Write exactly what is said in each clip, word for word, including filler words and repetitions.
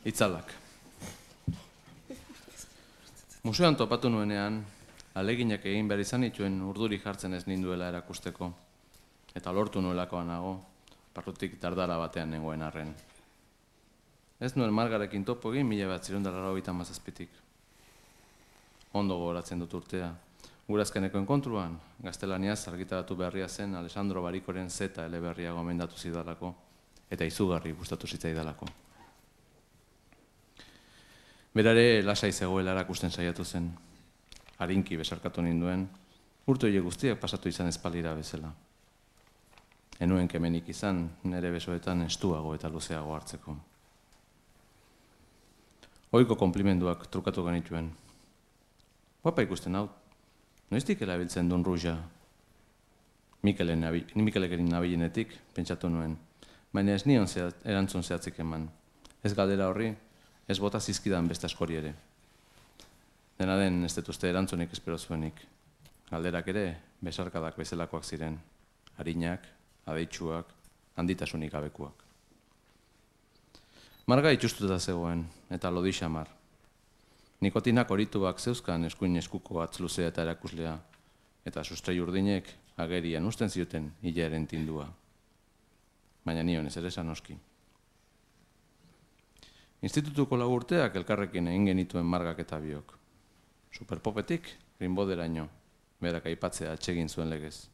Itzalak. Museoan topatu nuenean, aleginak egin behar izan dituen urduri jartzen ez ninduela erakusteko, eta lortu nuelakoa nago, barrutik dardara batean nengoen arren. Ez nuen Margarekin topo egin mila bat zirundara laurogeita hamazazpitik. Ondo gogoratzen dut urtea. Gurazkeneko enkontruan, gaztelaniaz argitaratu beharria zen Alessandro Barikoren zeta eleberria gomendatu zidalako, eta izugarri gustatu zitzaidalako. Berare lasai zegoela erakusten saiatu zen. Harinki besarkatu ninduen, urte horiek guztiak pasatu izan espalira bezala. Enuen kemenik izan, nire besoetan estuago eta luzeago hartzeko. Ohiko konplimenduak trukatu genituen. Guapa ikusten hau, noiztik erabiltzen duen ruja? Mikelekerin nabilenetik, pentsatu nuen, baina ez nion erantzun zehatzik eman. Ez galdera horri, ez bota zizkidan beste askori ere. Dena den ez dut uste erantzunik espero zuenik. Galderak ere, besarkadak bezalakoak ziren. Harinak, adeitsuak, handitasunik gabekuak. Marga itxustuta zegoen, eta lodi xamar. Nikotinak horituak zeuzkan eskuin eskuko atz luzea eta erakuslea, eta sustrei urdinek agerian usten zioten hilaren tindua. Baina nion ez ere sanoski. Institutuko lau urteak elkarrekin egin genituen Margak eta biok. Superpopetik, Rimbauderaino, berak aipatzea atsegin zuen legez.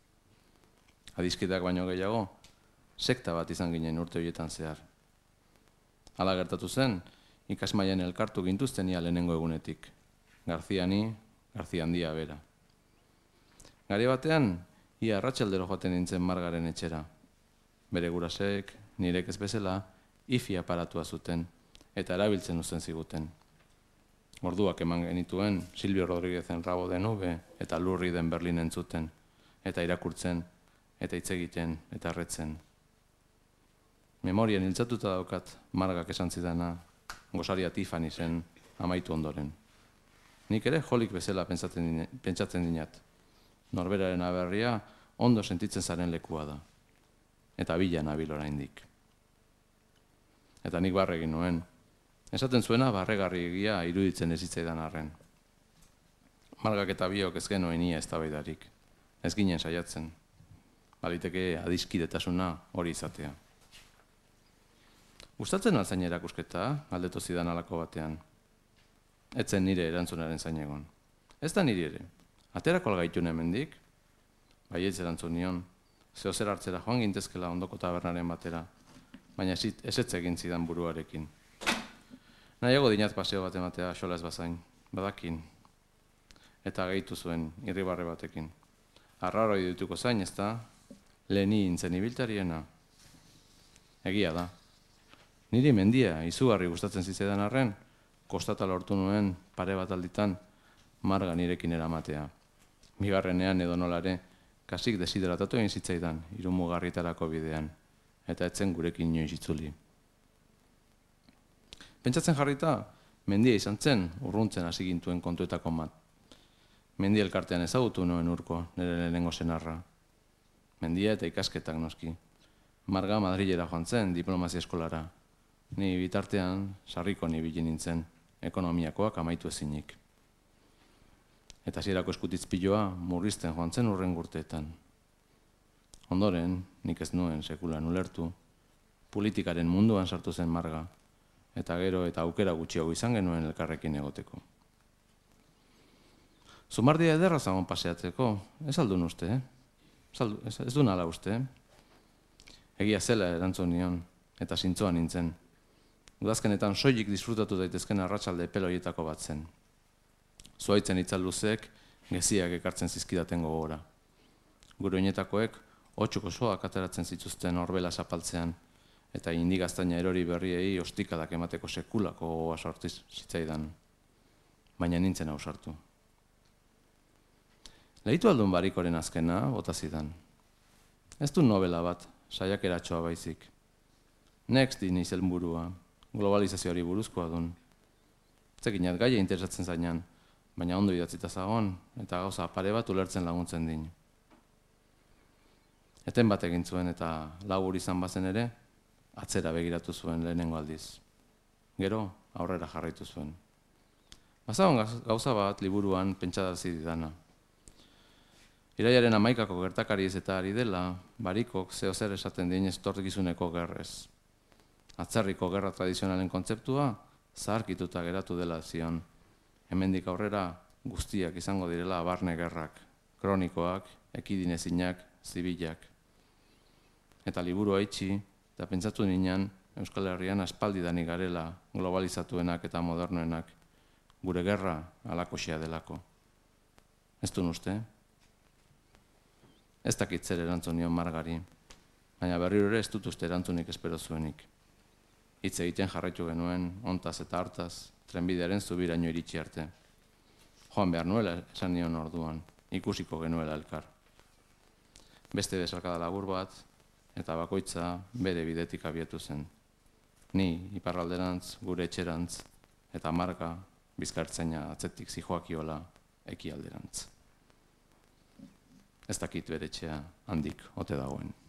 Adiskideak baino gehiago, sekta bat izan ginen urte horietan zehar. Hala gertatu zen, ikasmailan elkartu gintuzten ia lehenengo egunetik. Garziani, Garzia handia bera. Gari batean, ia arratsaldero joaten nintzen Margaren etxera. Bere gurasek, nirek ez bezala, ifi aparatua zuten, eta erabiltzen uzten ziguten. Orduak eman genituen, Silvio Rodríguezen Rabo de Nube eta Lurri den Berlin entzuten, eta irakurtzen, eta hitz egiten, eta erretzen. Memorian hiltzatuta daukat Margak esan zidana, gosaria Tiffany zen amaitu ondoren. Nik ere jolik bezala pentsatzen dinat. Norberaren aberria ondo sentitzen zaren lekua da. Eta bila nabil oraindik. Eta nik barregin nuen. Esaten zuena barregarri egia iruditzen ez hitzaidan arren. Margak eta biok ez genuen ia eztabaidarik. Ez ginen saiatzen. Baliteke adiskidetasuna hori izatea. Gustatzen alzain erakusketa, galdetu zidan halako batean. Etzen nire erantzunaren zain egon. Ez da niri ere. Aterako algaitun hemendik? Baietz erantzun nion. Zeo zer hartzera joan gintezkela ondoko tabernaren batera. Baina ezetz egin zidan buruarekin. Nahiago dinat paseo bat ematea xola ez bazain. Badakin. Eta gehitu zuen irribarre batekin. Arraroi dituko zain, ez da? Leheni intzen ibiltariena. Egia da. Niri mendia, izugarri gustatzen zitzaidan arren, kostata lortu nuen pare bat alditan Marga nirekin eramatea. Bigarrenean edo nolare, kasik desidratatu egin zitzaidan, irumugarritarako bidean, eta etzen gurekin inoiz itzuli. Pentsatzen jarrita, mendia izan zen, urruntzen hasi gintuen kontuetako mat. Mendia elkartean ezagutu nuen urko, nire lehenengo senarra. Mendia eta ikasketak noski. Marga Madrilera joan zen, diplomazia eskolara. Ni bitartean, sarriko nibili nintzen, ekonomiakoak amaitu ezinik. Eta hasierako eskutitzpiloa murrizten joan zen urren urteetan. Ondoren, nik ez nuen sekulan ulertu, politikaren munduan sartu zen Marga, eta gero eta aukera gutxiago izan genuen elkarrekin egoteko. Zumardia ederra zagon paseatzeko, ez aldun uste, eh? Ez, ez du nala uste, eh? Egia zela erantzun nion, eta zintzoa nintzen. Udazkenetan soilik disfrutatu daitezken arratsalde peloietako bat zen. Zuaitzen itzal luzeek geziak ekartzen zizkidaten gogora. Gure oinetakoek otxuko soak ateratzen zituzten orbela zapaltzean, eta indigaztaina erori berriei ostikadak emateko sekulako gogoa sortiz zitzaidan. Baina nintzen ausartu. Lehitu aldun Barikoren azkena, bota zidan. Ez du novela bat, saiakeratxoa baizik. Next din izen burua, globalizazioari buruzkoa dun. Zekinat gaia interesatzen zainan, baina ondo idatzita zagon, eta gauza pare bat ulertzen laguntzen din. Eten bat egin zuen eta labur izan bazen ere, atzera begiratu zuen lehenengo aldiz. Gero, aurrera jarraitu zuen. Bazagon gauza bat liburuan pentsadazi didana. Iraiaren hamaikako gertakariez eta ari dela, Barikok zeo zer esaten dien etorkizuneko gerrez. Atzerriko gerra tradizionalen kontzeptua zaharkituta geratu dela zion. Hemendik aurrera guztiak izango direla barne gerrak, kronikoak, ekidinezinak, zibilak. Eta liburua itxi, eta pentsatu ninan Euskal Herrian aspaldidanik garela globalizatuenak eta modernoenak, gure gerra alakoxea delako. Ez duen uste? Ez dakit zer erantzun nion Margari, baina berriro ere ez dut uste erantzunik espero zuenik. Hitz egiten jarraitu genuen, ontaz eta hartaz, trenbidearen zubiraino iritsi arte. Joan behar nuela esan nion orduan, ikusiko genuela elkar. Beste besarkada labur bat, eta bakoitza bere bidetik abiatu zen. Ni iparralderantz, gure etxerantz, eta Marga bizkartzaina atzetik zijoakiola ekialderantz. Ez dakit bere etxea handik ote dagoen.